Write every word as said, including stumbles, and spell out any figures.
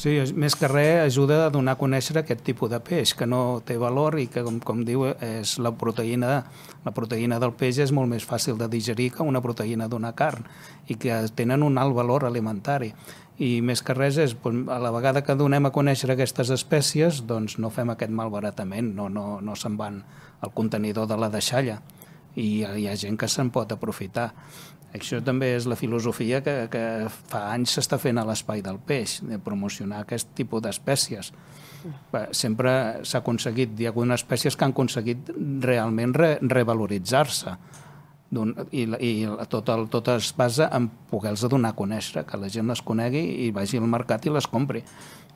Sí, més que res ajuda a donar a conèixer aquest tipus de peix, que no té valor i que, com, com diu, és la proteïna, la proteïna del peix és molt més fàcil de digerir que una proteïna d'una carn i que tenen un alt valor alimentari. I més que res és, a la vegada que donem a conèixer aquestes espècies, doncs no fem aquest malbaratament, no, no, no se'n van al contenidor de la deixalla i hi ha gent que se'n pot aprofitar. Això també és la filosofia que, que fa anys s'està fent a l'espai del peix, de promocionar aquest tipus d'espècies. Sempre s'ha aconseguit, hi ha algunes espècies que han aconseguit realment re, revaloritzar-se. I, i tot, el, tot es basa en poder-los donar a conèixer, que la gent les conegui i vagi al mercat i les compri.